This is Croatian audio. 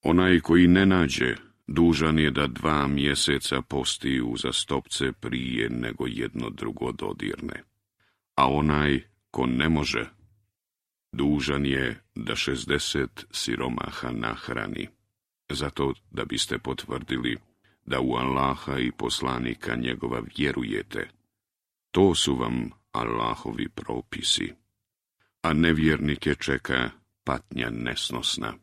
Onaj koji ne nađe, dužan je da 2 mjeseca posti uzastopce prije nego jedno drugo dodirne. A onaj ko ne može, dužan je da 60 siromaha nahrani, zato da biste potvrdili da u Allaha i poslanika njegova vjerujete. To su vam Allahovi propisi, a nevjernike čeka patnja nesnosna.